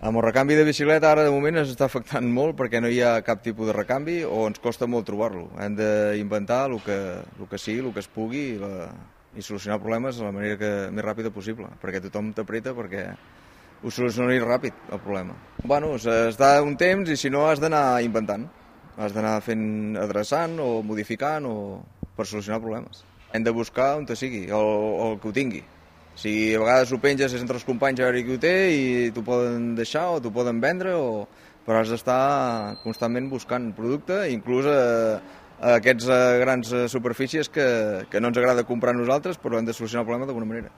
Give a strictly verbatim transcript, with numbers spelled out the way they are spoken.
Amb el recanvi de bicicleta ara de moment ens està afectant molt perquè no hi ha cap tipus de recanvi o ens costa molt trobar-lo. Hem d'inventar el que, el que sigui, el que es pugui i, la, i solucionar problemes de la manera que, més ràpida possible, perquè tothom t'apreta perquè ho solucionaria ràpid, el problema. Bueno, es da un temps i si no has d'anar inventant, has d'anar fent adreçant o modificant o per solucionar problemes. Hem de buscar on te sigui, el, el que ho tingui. Si a vegades ho penges entre els companys a veure qui ho té i t'ho poden deixar o t'ho poden vendre, o... però has d'estar constantment buscant producte, inclús a, a aquestes grans superfícies que, que no ens agrada comprar nosaltres, però hem de solucionar el problema d'alguna manera.